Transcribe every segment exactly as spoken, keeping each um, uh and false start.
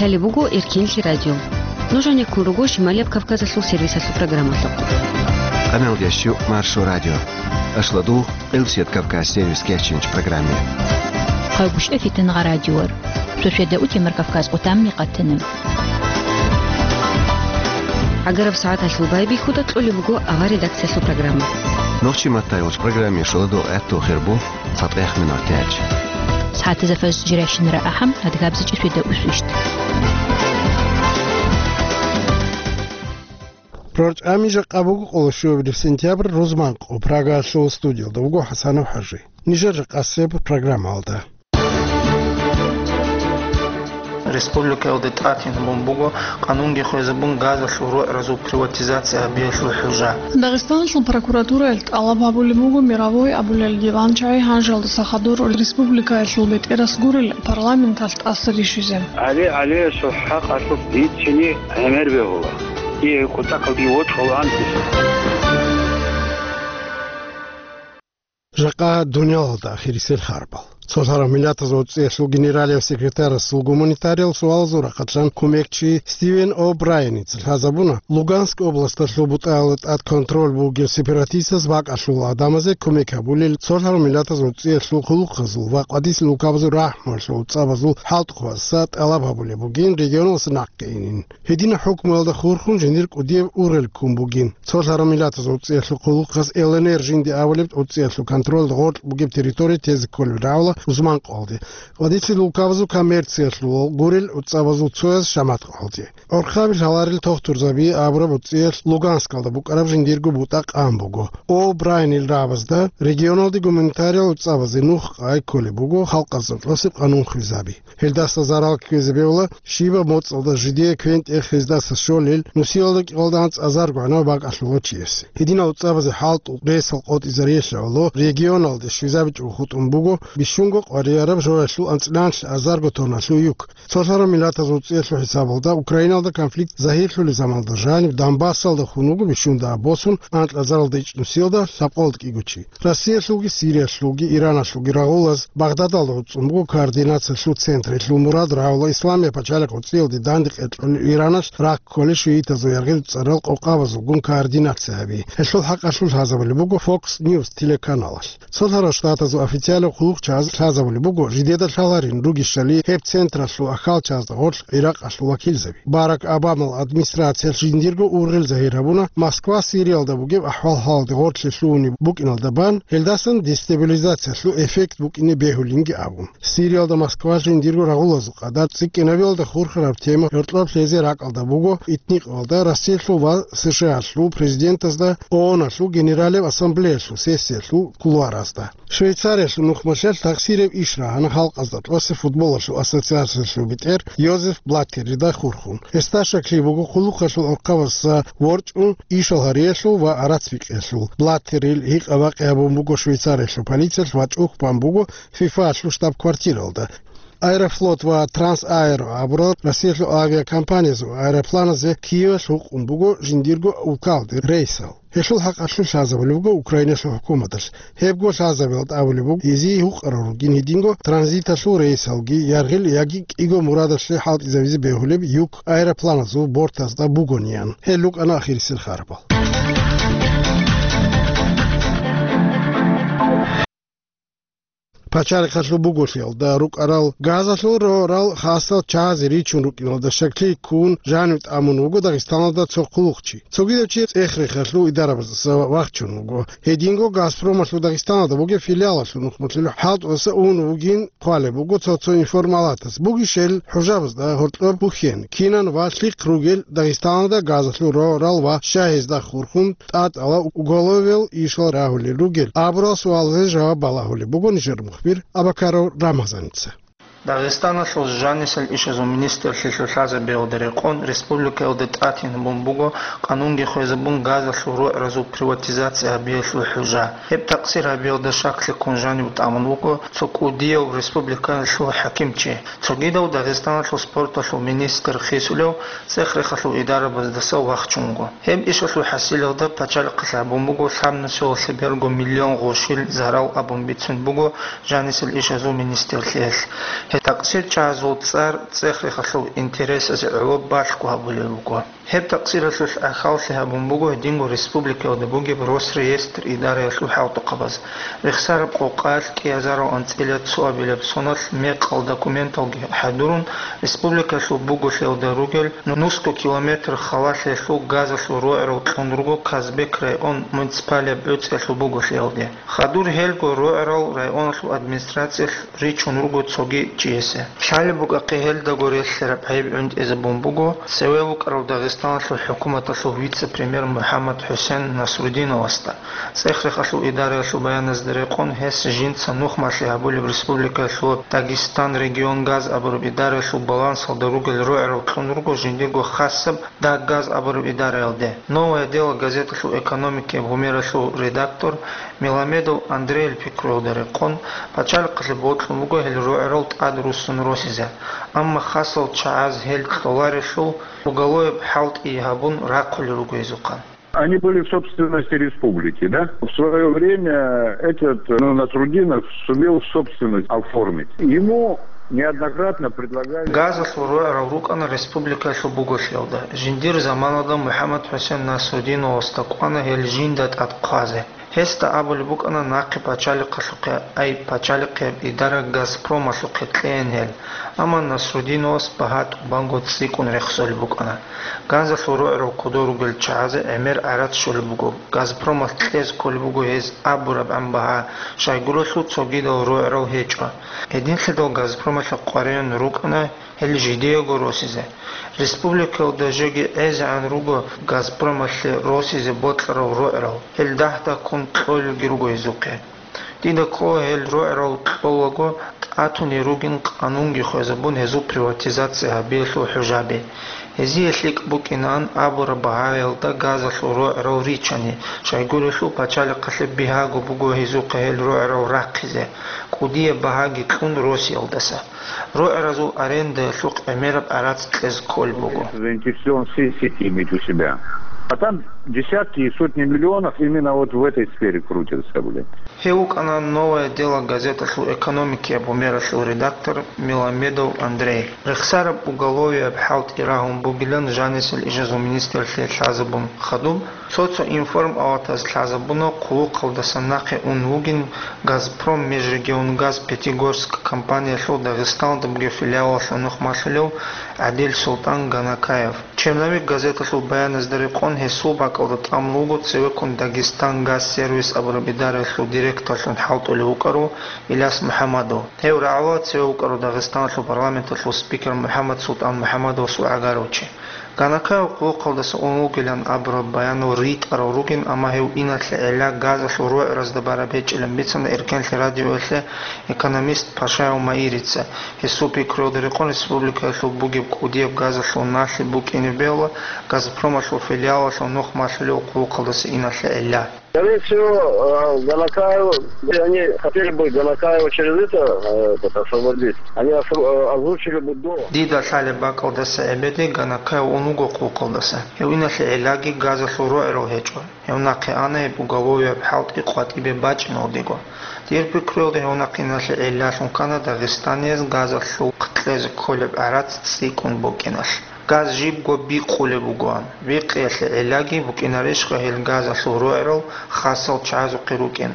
Лъалеб буго Эркенлъи радио. Нуж гьанеккун руго Шималияб Кавказалъул сервисалъул программалъухъ. Къамел ящу Маршо радио. Ашладу Къилсият Кавказ сервис кечинч программе. Хъайбушев Фитнагъа радиор. Сосиада утимар Кавказ къутамни къатана. Агараб сагӀаталъул байбихьуда кьолеб буго авар редакциялъул программа. Нохчи маттай уч программе шоладо этту хербу. ЦатӀех минут тяч. СагӀатазда фажр жирайщинара ахӀам, адгабзичӀи светда усвищт. ПрорчӀами жакъа буго къоло щуабилеб сентябрь, рузман къо, Прагаялъул студиялда вуго ХӀасанов ХӀажи. Нижер жакъасеб программалда. Республикаялда тӀатин гьабун буго къанунги хвезабун газалъул рогӀразул приватизация гьабиялъул хӀужа. Дагъистаналъул прокуратураялъ тӀалаб гьабулеб буго Мировой абулел диванчагӀи гьанжалдаса хадур республикаялъул бетӀерас гурел парламенталъ тӀаса рищизе. ГӀали ГӀалиясул хӀакъалъулъ дицани гӀемер бегьула. Дие кутакалги вокьулаан. Жакъа дуниялалда ахирисел харбал. Цолъарав миллатазул цӀиялъул генералияв секретарасул гуманитариялъул суалазул рахъалъан кумекчи Стивен О'Брайеница лъазабуна, Луганск областалъул бутӀаялда тӀад контроль бугел сепаратистаз бакӀалъул гӀадамазе кумек гьабулел цолъарав миллатазул цӀиялъул хъулухъазул ва къватӀисел улкабазул рахӀмуялъул цӀабазул хӀалтӀухъабазда тӀалаб гьабулеб бугин регионалдаса нахъе инин. Гьединаб хӀукмуялда хурхун жиндир кӀудияб ургъел ккун бугин. Цолъарав миллатазул цӀиялъул хъулухъаз Л Н Р жинди абулеб цӀиялъул контролда гъоркь бугеб территория тезе кколеб рагӀула рузман къоялде, къватӀисел улкабазул коммерциялъул гурел цӀабазул цояз шамат къоялде. Орхъаби лъаларел тохтурзаби абураб цӀиялъ Луганскалда букӀараб жиндирго бутӀа къан буго. О'Брайенил рагӀабазда регионалде гуманитариял цӀабазе нух къай кколеб буго халкъазда кьосеб къанун хвезаби. Гьелдаса зарал ккезе бегьула, щибаб моцӀалда жидее квен-тӀех гьездаса щолел, нусиялда кӀикъоялда анцӀазарго гӀанав бакӀалъулав чиясе. Гьединал цӀабазе хӀалтӀу ресал къотӀизариялъе гӀоло регионалде щвезабичӀого хутӀун буго бищунго къварияраб жоялъул анцӀила азарго тонналъул юк. Цолъарав миллатазул цӀиялъул хӀисабалда Украиналда конфликт загьирлъулел заманалда жаниб Донбассалда хун вуго бищунда босун анкьазаралда ичӀнусиялда лъабкъоялда кӀиго чи. Россиялъулги, Сириялъулги, Ираналъулги рагъулаз Багъдадалда гӀуцӀун буго координациялъул централъул мурад рагӀула Исламияб пачалихъ гӀуцӀиялде данде къеркьулел Ираналъ ракколел шиитазул яргъил цӀарал къокъабазулгун координация гьаби. Гьелъул хӀакъалъулъ лъазабулеб буго Fox News телеканалалъ. Цолъарав Штатазул официалав хъулухъчагӀаз лъазабулеб буго жидеда лъаларин ругищали гьеб централъул ахьалчагӀазда гъорлъ ГӀиракъалъул вакилзаби. Барак Обамал администрациялъ жиндирго ургъел загьир гьабуна Москва Сириялда бугеб ахӀвал-хӀалалде гъоркье лъугьунеб букӀиналда бан, гьелдасан дестабилизациялъул эффект букӀине бегьулинги абун. Сириялда Москва жиндирго рагъулазул къадар цӀикӀкӀинабиялда хурхараб тема гьоркьоб лъезе ракӀалда буго итникъалда Россиялъул ва С Ш Алъул президентазда ООНалъул Генералияб Ассамблеялъул сессиялъул кулуаразда. Швейцариялъул нухмалъалъ тахсираб иш рагьана халкъазда тӀаса футболалъул ассоциациялъул бетӀер Йозеф Блаттерида хурхун. Гьесда щаклъи буго хъулухъалъул орхъабазда ворчӀун ишал гьариялъул ва арацбикьиялъул. Блаттерил гьикъа-бакъи гьабун буго Швейцариялъул полициялъ ва чӀухь бан буго ФИФАлъул штаб-квартиралда. Аэрофлот ва Трансаэро абурал Россиялъул авиакомпаниязул аэропланазе Киевалъ гьукъун буго жиндирго улкалде рейсал. Гьелъул хӀакъалъулъ лъазабулеб буго Украиналъул хӀукуматалъ. Гьебго лъазабиялда абулеб буго, гьезие гьукъарал ругин гьединго транзиталъул рейсалги, яргъил яги кӀиго мурадалъе хӀалтӀизавизе бегьулеб юк аэропланазул бортазда бугониан. Гьел рукӀана ахирисел харбал. Пачалихъалъул буголъиялда рукӀарал газалъул рорал хасал чагӀазе ричун рукӀиналда щаклъи ккун жанив тӀамун вуго Дагъистаналда цо хъулухъчи. Цогидав чи цӀех-рехалъул идарабаздаса вахчун вуго. Гьединго Газпромалъул Дагъистаналда бугеб филиалалъул нухмалъулъ хӀалтӀудаса ун вугин хъвалеб буго цо-цо информалатас. Бугищел хӀужабазда гьоркьоб бухьен, кинан ва лъихъ ругел Дагъистаналда газалъул рорал ва щай гьезда хурхун тӀатӀала уголовиял ишал рагьулел ругел абурал суалазе жаваб балагьулеб буго нижер мухбир Абакаров Рамазаница. Дагъистаналъул жанисел ишазул министрлъилъул лъазабиялда рекъон республикаялда тӀатин гьабун буго къанунги хвезабун газалъул рогӀразул приватизация гьабиялъул хӀужа. Гьеб такъсир гьабиялда щаклъи ккун жанив тӀамун вуго цо кӀудияв республикаялъул хӀакимчи. Цогидав Дагъистаналъул спорталъул министр хисулев цӀех-рехалъул идарабаздаса вахчун вуго. Гьеб ишалъул хӀасилалда пачалихъалъ гьабун буго лъабнусиялъе берго миллион гъошил зарал абун бицун буго жанисел ишазул министрлъиялъ. ТакъсирчагӀазул цӀар цӀех-рехалъул интересазе гӀоло балъго гьабулеб буго. Гьеб такъсиралъулъ гӀахьаллъи гьабун буго гьединго республикаялда бугеб Росреестр идараялъул хӀалтӀухъабаз. Рехсараб къокъаялъ кӀиазарал анцӀила цоабилаб соналъ мекъал документалги хӀадурун, республикалъул буголъиялда ругел нусго километр халалъиялъул газалъул рогӀрал кьун руго Казбек район муниципалияб гӀуцӀиялъул буголъиялде. Хадур гьелго рогӀрал районалъул администрациялъ ричун руго цоги чиясе. Лъалеб букӀахъе гьелдаго релълъараб гӀайиб гӀунтӀизабун буго цеве вукӀарав Дагъистаналъул хӀукуматалъул вице-премьер МухӀаммад ХӀусен Насрудиновасда. ЦӀех-рехалъул идараялъул баяназда рекъон, гьес жинца нухмалъи гьабулеб республикаялъул Дагестан регион газ абураб идараялъул балансалда ругел рогӀрал кьун руго жиндирго хасаб Даггаз абураб идараялде. «Новое дело» газеталъул экономикияб гьумералъул редактор Меламедов Андрейил пикруялда рекъон, пачалихъалъе бокьун буго гьел рогӀрал тӀад руссун росизе, амма хасал чагӀаз гьел кьоларелъул уголовияб хӀалтӀи гьабун рахъулел руго гьезухъан. Они были в собственности республики, да? В свое время этот, ну, Насрудинов сумел в собственность оформить. Ему неоднократно предлагали... Газалъул рогӀрал рукӀана республикаялъул буголъиялда. Жиндир заманалда МухӀаммад ХӀусен Насрудиновасда кӀвана гьел жинда тӀад хъвазе. Гьесда абулеб букӀана нахъе пачалихъалъухъе, ай, пачалихъияб идара «Газпромалъухъе» кьейин гьел, амма Насрудиновас багьа тӀубанго цӀикӀкӀун рехсолеб букӀана. Газалъул рогӀрал кодор ругел чагӀазе гӀемер гӀарац щолеб буго, «Газпромалъ» кьезе кколеб буго гьез абурабгӀан багьа, щайгурелъул цогидал рогӀрал гьечӀо. Гьединлъидал «Газпромалъе» къваригӀун рукӀана гьел жидеего росизе. Республикаялда жоги гӀезегӀан руго «Газпромалъе» росизе бокьарал рогӀрал, гьел дагь-дагьккун кьолелги руго гьезухъе. Дида ккола гьел рогӀрал кьолаго тӀатунел ругин къанунги хвезабун гьезул приватизация гьабиялъул хӀужаби. Гьезие лъикӀ букӀинаан абураб багьаялда газалъул рогӀрал ричани, щайгурелъул пачалихъалъе бигьаго буго гьезухъе гьел рогӀрал рахъизе, кӀудияб багьаги кьун росиялдаса. РогӀразул арендаялъухъ гӀемераб гӀарац кьезе кколеб буго. Заинтересован все сети иметь у себя. А там десятки и сотни миллионов именно вот в этой сфере крутятся, блин. Гьев вукӀана «Новое дело» газеталъул экономикияб гьумералъул редактор Меламедов Андрей. Рехсараб уголовияб хӀалтӀи рагьун бугилан жанисел ижазул министрлъи лъазабун хадуб, цо-цо информпалатаз лъазабуна хъулухъалдасан нахъе ун вугин «Газпром межрегионгаз Пятигорск» компаниялъул Дагъисталда бугеб филиалалъул нухмалъулев ГӀадил Султан Ганакаев. «Черновик» газеталъул баяназда рекъон, гьесул бакӀалда тӀамун вуго цевеккун «Дагестан газ сервис» абураб идараялъул директорлъун хӀалтӀулев вукӀарав Иляс МухӀамадов. Гьев рагӀула цеве вукӀарав Дагъистаналъул парламенталъул спикер МухӀаммад Султан МухӀамадовасул гӀагарав чи. Ганакаев хъулухъалдаса ун вугилан абураб баянал ритӀарал ругин, амма гьев иналъе гӀелла газалъул рогӀразда бараб гьечӀилан бицана Эркенлъи радиоялъе экономист Пашаев Маирица. Гьесул пикруялда рекъон, республикаялъул бугеб кӀудияб газалъул налъи букӀине бегьула «Газпромалъул» филиалалъул нухмалъулев хъулухъалдаса иналъе гӀелла. Скорее всего, э, Ганакаев, они хотели бы Ганакаева через это, э, этот, освободить. Они осво-, э, озвучили бы до. Дида лъалеб бакӀалдаса эбеде Ганакаев ун вуго хъулухъалдаса. Гьев иналъе гӀеллаги газалъул рогӀрал гьечӀо. Гьев нахъе ана гьеб уголовияб хӀалтӀи къватӀибе бачӀиналдего. Дир пикруялда гьев нахъе иналъе гӀеллалъун ккана дагъистанияз газалъухъ кьезе кколеб гӀарац цӀикӀкӀун букӀиналъ. Газ жибго бикъулеб бугоан. Бикъиялъе гӀеллаги букӀинарищха гьел газалъул рогӀрал хасал чагӀазухъе рукӀин?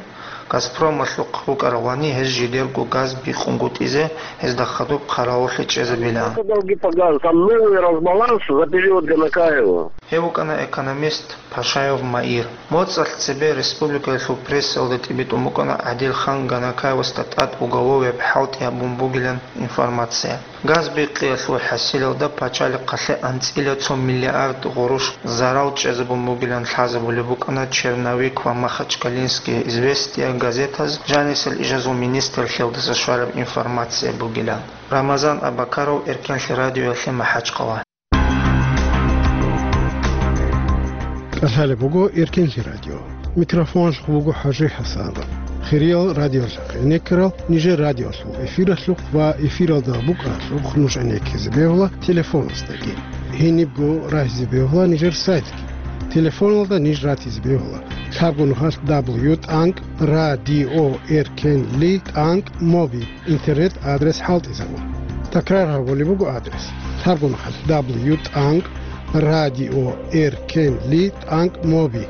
«Газпромалъухъ» рукӀаралани гьез жидерго газ бикъунгутӀизе гьезда хадуб хъаравуллъи чӀезабилаан. Это долги по газу. Там новый разбаланс за период Ганакаева. Гьев вукӀана экономист Пашаев Маир. МоцӀалъ цебе республикаялъул прессалда тӀибитӀун букӀана ГӀадилхан Ганакаевасда тӀад уголовияб хӀалтӀи гьабун бугилан информация. Газ бикъиялъул хӀасилалда пачалихъалъе анцӀила цо миллиард гъурущ зарал чӀезабун бугилан лъазабулеб букӀана «Черновик» ва «Махачкалинские известия» газетаз жанисел ижазул министрлъиялдаса щвараб информация бугилан. Рамазан Абакаров, Эркенлъи радиоялъе, МахӀачхъала. КӀалъалеб буго Эркенлъи радио. Микрофоналъухъ буго ХӀажи ХӀасанов. Хириял радиолъухъ гӀенеккарал нижер радиолъул эфиралъухъ ва эфиралда букӀаралъухъ нуж гӀенеккизе бегьула телефоназдаги. Гьенибго рагьизе бегьула нижер сайтги. Телефоналда ниж ратизе бегьула лъабго нухалъ: дабл ю тӀанкӀ радио эркенли тӀанкӀ моби. Интернет-адрес хӀалтӀизабун. Такрар гьабулеб буго адрес: лъабгун хъалъ: дабл ю тӀанкӀ радио эр ком ли тӀанкӀ моби.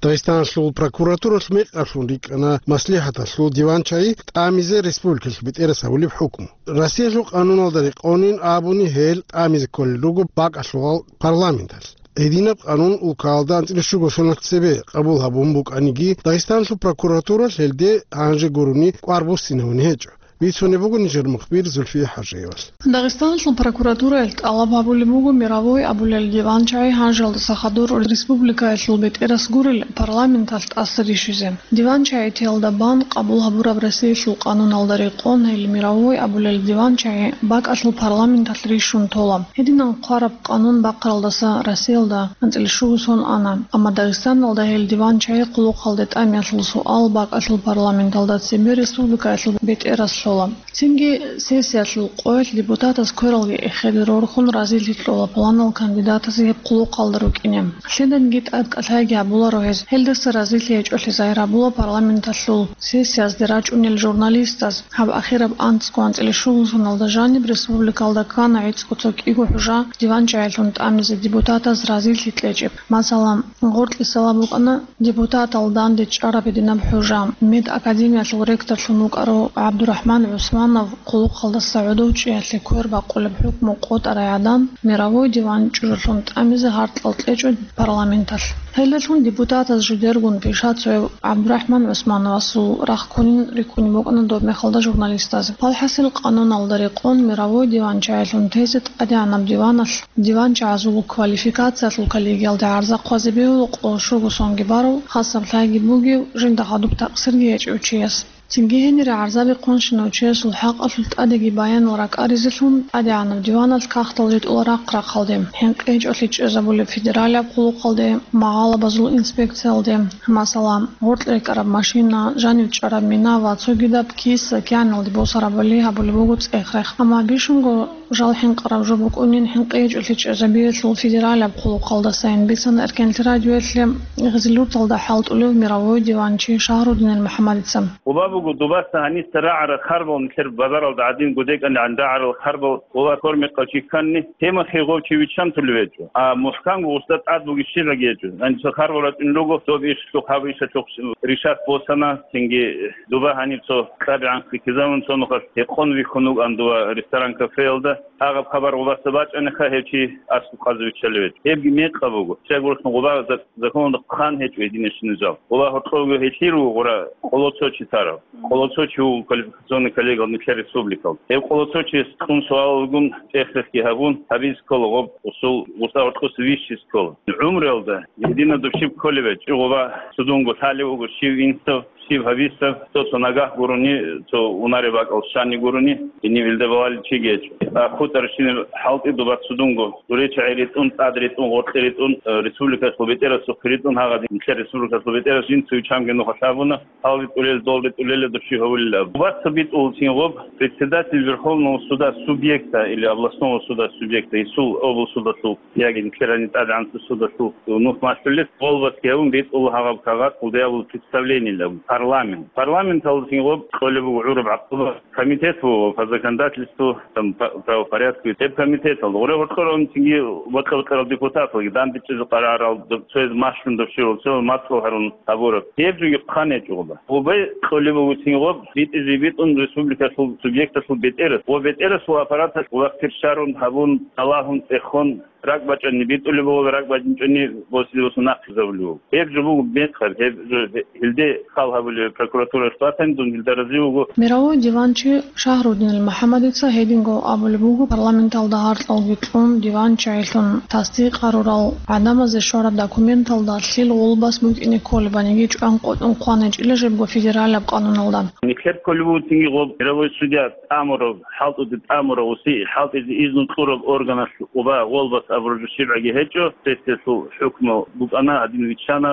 Дагъистаналъул прокуратуралъ мекъалъун рикӀкӀана маслихӀаталъул диванчагӀи тӀамизе республикалъ бетӀерас гьабулеб хӀукму. Россиялъул къануналда рекъонин абуни гьел тӀамизе кколел руго бакӀалъулал парламенталъ. Гьединаб къанун улкаялда анцӀила щуго соналъ цебе къабул гьабун букӀаниги, Дагъистаналъул прокуратуралъ гьелде гьанже гурони кӀвар буссинавуни гьечӀо. Бицунеб буго нижер мухбир Зульфия ХӀажиевалъ. Дагъистаналъул прокуратураялъ тӀалаб гьабулеб буго Мировой абулел диванчагӀи гьанжалдаса хадур республикаялъул бетӀерас гурел парламенталъ тӀаса рищизе. ДиванчагӀи теялда бан къабул гьабураб Россиялъул къануналда рекъон гьел Мировой абулел диванчагӀи бакӀалъул парламенталъ рищун тола. Гьединан хъвараб къанун бахъаралдаса Россиялда анцӀила щуго сон ана, амма Дагъистаналда гьел диванчагӀи хъулухъалде тӀамиялъул суал бакӀалъул парламенталда цебе республикаялъул бетӀерас лъола. Цинги сессиялъул къоялъ депутатаз квералги эхеде рорхун разилъи кьола планал кандидатазе гьеб хъулухъалда рукӀине. Лъиданиги тӀад кӀалъайги гьабуларо гьез. Гьелдаса разилъи гьечӀолъи загьир гьабула парламенталъул сессиязде рачӀунел журналистаз. Гьаб ахираб анцӀго анцӀила щуго соналда жаниб республикалда ккана гӀицӀго цо кӀиго хӀужа диванчагӀилъун тӀамизе депутатаз разилъи кьечӀеб. Масала, гъоркьисала букӀана депутатал данде чӀараб гьединаб хӀужа. Медакадемиялъул ректорлъун вукӀарав ГӀабдурахӀман ГӀусманов хъулухъалдаса гӀодов чӀиялъе квер бакъулеб хӀукму къотӀарай гӀадан, Мировой диван чӀужулъун тӀамизе гьаркьал кьечӀо парламенталъ. Гьелдалъун депутатаз жидергун пишацояв ГӀабдурахӀман ГӀусмановасул рахъ ккунин рикӀкӀунеб букӀана доб мехалда журналистаз. Валхасил, къануналда рекъон Мировой диванчагӀилъун тезе тӀадегӀанаб диваналъ диванчагӀазул квалификациялъул коллегиялда гӀарза хъвазе бегьула къоло щуго сонги барав, хасаб лъайги бугев, жинда гьадуб такъсирги гьечӀев чияс. Цинги гьенире гӀарзаби хъунщинав чиясул хӀакъалъулъ тӀадеги баянал ракӀаризелъун, тӀадегӀанаб диваналъ кагътал ритӀула рахъ-рахъалде, хӀинкъи гьечӀолъи чӀезабулеб федералияб хъулухъалде, магъалабазул инспекциялде, масала, гъоркь рекӀараб машина, жанив чӀараб мина ва цогидаб киса-кигӀаналде босарабали гьабулеб буго цӀех-рех. Амма бищунго жал хӀинкъараб жо букӀунин хӀинкъи гьечӀолъи чӀезабиялъул федералияб хъулухъалдасайин, бицана Эркенлъи радиоялъе Гъизлюрталда хӀалтӀулев Мировой диванчи Шагьрудинил МухӀаммадица. Гъоба буго дубаса гьаниса рагӀарал харбал, нилъер базаралда гӀадин гудекӀанилан рагӀарал харбал, гъоба кормекъав чи ккани, тема хигъов чи виччан тулев гьечӀо. А мухӀкамго гъусда тӀад бугищилаги гьечӀо. Гьаниса харбал рачӀун руго, доб ишлъухъ гьаб ишалъухъ решат босана, цинги дуба гьаниб цо кьабигӀан хъикизавун цо нухалъ гьекъон вихьун вукӀан дова ресторан-кафеялда. Гьагъаб хабар гъубаса бачӀаниха, гьев чи аслу хъазе виччалеве. Гьебги мекъаб буго. Щай гурхӀун гъуба за-, законалда хъан гьечӀо гьединищинал жал. Гъуба гьоркьовги гьелъи руго гъура къоло цо чи тарав. Къоло цо чи вуго квалификационный коллегиял нилъер республикал. Гьев къоло цо чияс кьун суалалгун, чӀехлъехъги гьабун, гьабиз ккола гъоб усул гъуса гьоркьоса вищиз ккола. ГӀумруялда гьединаб дов щиб кколеб гьечӀо, гъуба цудунго лъалев вуго щив инсав, щив гьабиса, цо-цо нагагь гурони, цо унаре бакӀал щани гурони, гьенив илда балалел чиги гьечӀо. А хутӀарщинаб хӀалтӀи дуба цудунго, дуре чагӀи ритӀун, тӀад ритӀун, гъоркье ритӀун, э, республикалъул бетӀерасухъе ритӀун, гьагъадин нилъер республикалъул бетӀерас жинца виччанги нуха лъабуна, гьал ритӀулел, дол ритӀулел дов щив гьавулилан. Убаца битӀулцин гъоб председатель Верховного суда субъекта или областного суда субъекта, гьесул облсудалъул яги нилъер гьаниб тӀадегӀанлъул судалъул нух малъулел, голбасги гьавун битӀула гьагъаб кагъат, гъулдаябул представлениялъ абун, парламент. Парламенталдасин гъоб кьолеб буго гӀураб гӀакъуба, комитет буго по законодательству, там, по правопорядку, гьеб комитеталда. Гъуре гьоркьоравунцинги бокьа-бокьарал депутаталги, дандечӀезе къарарал, цояз машгьун дов щивал, цоял мацӀал гьарун гьабураб. Гьеб жоги хъан гьечӀо гъоба. Гъубай кьолеб бугоцин гъоб, битӀизе битӀун республикалъул субъекталъул бетӀерас ва бетӀерасул аппараталъ вахтир щарун гьабун, тӀалагьун, цӀехон, ракӀбачӀани битӀулеб буго, ракӀбачӀинчӀони босизе босун нахъизабулеб буго. Гьеб жо буго мекъаб, гьеб жо гье-, гьелде хал гьабулеб прокуратуралъ батани, дун гьелда рази вуго. Мировой диванчи Шагьрудинил МухӀаммадица гьединго абулеб буго, парламенталда гьаркьалги кьун, диванчагӀилъун тасдикъ гьарурал гӀадамазе щвараб документалда лъил гъулбас букӀине кколебаниги чӀван къотӀун хъван гьечӀила жебго федералияб къануналда. Нилъер кколеб бугоцинги гъоб мировой судья тӀамураб, хӀалтӀуде тӀамурав, уси хӀалтӀизе изну кьураб органалъ уба гъолбас абураб жо щибгӀаги гьечӀо, сессиялъул хӀукму букӀана, гьадин виччана,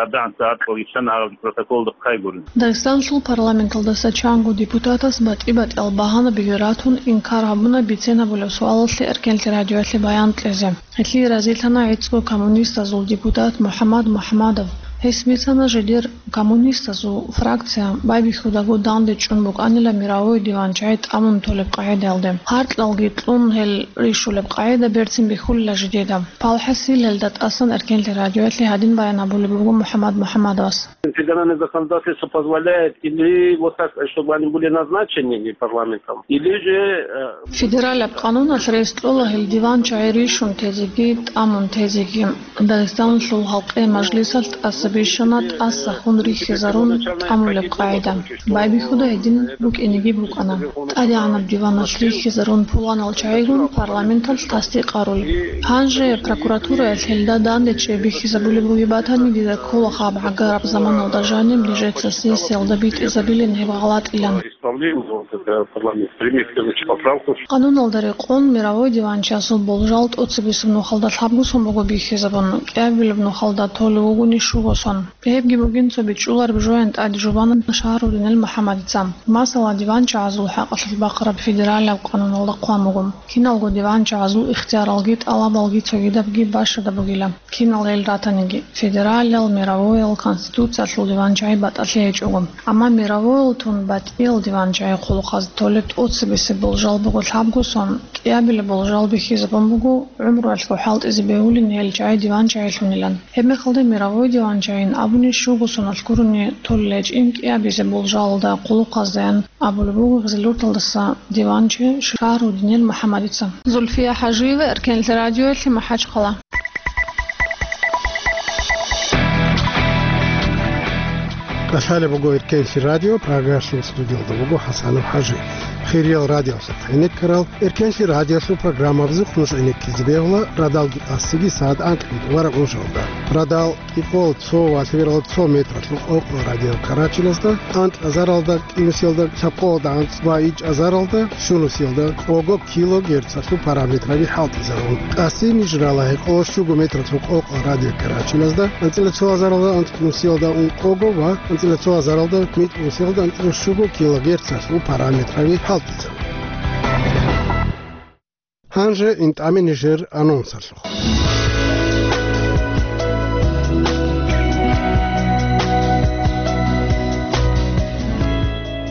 абдагӀанца гьаркьал виччана, гьаб протоколда хъайгурин. Дагъистанлъул парламенталдаса чанго депутатас батӀи-батӀиял багьанаби ратун, инкар гьабуна бицен гьабулеб суалалъе Эркенлъи радиоялъе баян кьезе. Гьелъие разилъана гӀицӀго коммунистазул депутат МухӀаммад МухӀаммадов. Гьес бицана жидер коммунистазул фракция байбихьудаго данде чӀун букӀанила мировой диванчагӀи тӀамун толеб къагӀидаялде. Гьаркьалги кьун гьел рищулеб къагӀида берцин бихьулила жидеда. Палхасил гьелда тӀасан Эркенлъи радиоялъе гьадин баян гьабулеб буго МухӀаммад МухӀаммадовас. Федеральное законодательство позволяет или вот так, чтобы они были назначены парламентом, или же, э, Федералаб къануналъ рес кьола гьел диванчагӀи рищун тезеги тӀамун тезеги. Дагъистаналъул халкъе мажлисалъ тӀаса бищана тӀаса хун рихьизарун тӀамулеб къагӀида. Байбихьуда гьедин букӀинеги букӀана. ТӀадегӀанаб диваналъ рихьизарун пуланал чагӀигун парламенталъ тасдикъ гьарулеб. Гьанже прокуратураялъ гьелда данде чӀей бихьизабулеб бугеб батани, дида ккола гьаб гӀагараб заманалда жаниб нижеца сессиялда битӀизабилин гьеб гъалатӀилан. Къануналда рекъон мировой диванчасул болжал тӀоцебесеб нухалда лъабго сон буго бихьизабун, кӀиабилеб нухалда толев вугони щуго сон. Гьебги бугин цо бичӀчӀулареб жоян тӀаде жубана Шагьрудинил МухӀаммадица. Масала, диванчагӀазул хӀакъалъулъ бахъараб федералияб къануналда хъван буго, киналго диванчагӀазул ихтияралги тӀалабалги цогидабги бащада бугила. Кинал гьел ратаниги, федералиял, мировоял, конституциялъул диванчагӀи батӀалъи гьечӀого. Амма мировоял тун батӀиял диванчагӀи хъулухъаз толеб тӀоцебесеб болжал буго лъабго сон, кӀиабилеб болжал бихьизабун буго гӀумруялъго хӀалтӀизе бегьулин гьел чагӀи диванчагӀилъунилан. Гьебмехалда мировой диванчагӀин абуни щуго соналъ гурони толел гьечӀин кӀиабизе болжалалда хъулухъаздаян абулеб буго Гъизлурталдаса диванчи Шагьрудинил МухӀаммадица. Зульфия ХӀажиева, Эркенлъи радиоялъе, МахӀачхъала. КӀалъалеб буго Эркенлъи радио, Прагалъул студиялда буго ХӀасанов ХӀажи. Хириял радиоялъухъ гӀенеккарал Эркенлъи радиоялъул программабазухъ нуж гӀенеккизе бегьула радалги къасиги сагӀат анкьабилеб тӀубараб унжалда. Радал кӀикъоялда цо ва лъебералда цо метралъул къокъо радиокарачиназда, анкьазаралда, кӀинусиялда, лъабкъоялда анцӀ ва ичӀазаралда, щунусиялда, кӀого килогерцалъул параметраби хӀалтӀизарун. Къаси ниж рала гьекъолда щуго метралъул къокъо радиокарачиназда, анцӀила цо азаралда анцӀнусиялда ункъого ва анцӀила цо азаралда митӀнусиялда анцӀила щуго килогерцалъул параметраби хӀалтӀизарун. Гьанже интӀаме нижер анонсалъухъ.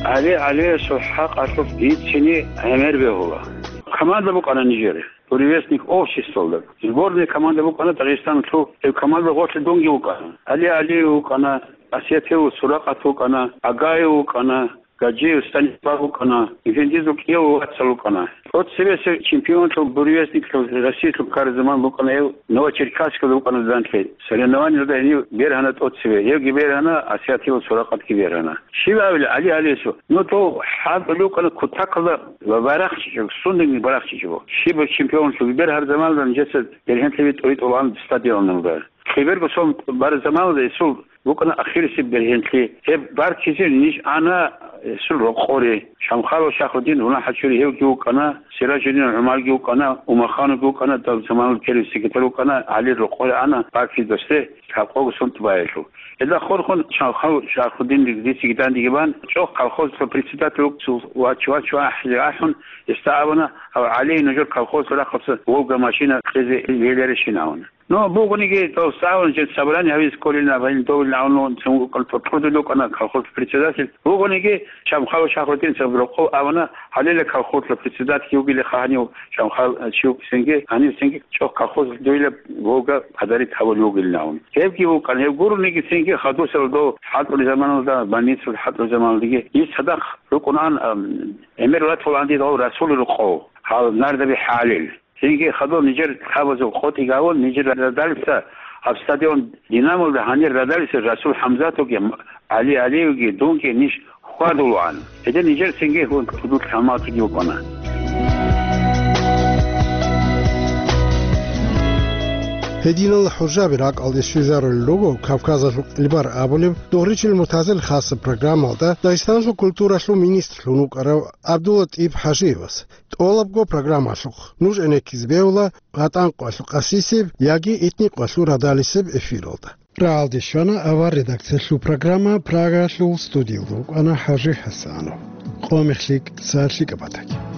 ГӀали ГӀалиясул хӀакъалъулъ дицине гӀемер бегьула. Команда букӀана нижер, «Буревестник» обществалда. Сборная команда букӀана Дагъистаналъул, гьеб команда гъорлъ дунги вукӀана. ГӀали ГӀалиев вукӀана, Асиятилов Суракъат вукӀана, Агаев вукӀана, Гаджиев Станислав вукӀана, Эфендизул кӀияв вацал вукӀана. ТӀоцебесеб чемпионлъун, буревестниклъун Россиялъул ккараб заман букӀана гьев, Новочеркасскалда букӀана данлъи. Соревнованиялда гьенив бергьана тӀоцебе, гьевги бергьана, Асиятилов Суракъатги бергьана. Щиб абила, ГӀали ГӀалиясул, ну, дов хӀалтӀулев вукӀана кутакалда ва барахчичӀого, сундагьги барахчичӀого. Щибаб чемпионлъун бергьараб заманалда нижеца бергьенлъи тӀуритӀулаан стадионалда. Лъеберго сон бараб заманалда гьесул букӀана ахирисеб бергьенлъи. Гьеб баркизе ниж ана гьесул рокъоре. Шамхалов Шахрудин, Руна ХӀачури, гьевги вукӀана, Сиражудин ГӀумарги вукӀана, Умахановги вукӀана, дал заманалда первый секретарь вукӀана, ГӀалир рокъоре ана баркизе досде лъабкъого сон тӀубаялъул. Гьелда хорхун Шамхалов Шахрудин дициги дандеги бан, чӀохъ колхозалъул председатель вукӀцул вач-вач ва ахӀи ахӀун, гьесда абуна, гьав ГӀали нужер колхозалъул рахъалъа «Волга» машина кьезе гьеларищин абуна. Ну, бугониги, дов цӀалун жин собрание гьавизе кколин абун, довилин абун, цун вукӀана, тӀуртӀурдул вукӀана колхоз председатель. Бугониги, Шамхалов Шахрудин цун рокъов абуна, гьалила колхозалъул председатель вугилаха гьанив Шамхал, э, чи вукӀисенги, гьанивсенги чӀохъ колхоз дуйла «Волга» подарить гьавулев вугилин абун. Гьевги вукӀана, гьев гурониги цинги хадусел дов хӀалтӀулел заманалда, больницалда хӀалтӀулел заманалдаги, ил цадахъ рукӀунаан, ам, гӀемер ватулаан дидал Расул рокъов, гьал Нардаби ХӀалил. Цинги хадуб нижер лъабазул къотӀи гавун, нижер радалица гьаб стадион «Динамолда» гьанир радалица Расул ХӀамзатовги, ГӀали ГӀалиевги, дунги ниж хьвадулаан. Гьедин нижер цинги гьун тудул лъамалъиги вукӀана. Гьединал хӀужаби ракӀалде щвезарулел руго Кавказалъул кьилбар абулеб Дугъричил Муртазил хасаб программалда Дагъистаналъул культуралъул министрлъун вукӀарав ГӀабдуллатӀиб ХӀажиевас. ТӀолабго программалъухъ нуж гӀенеккизе бегьула гьатӀан къвалъ къасисеб яги этни къвалъ радалисеб эфиралда. Рагьалде щвана авар редакциялъул программа, Прагалъул студиялда вукӀана ХӀажи ХӀасанов. Къо-мех лъикӀ, сагӀат лъикӀаб батаги.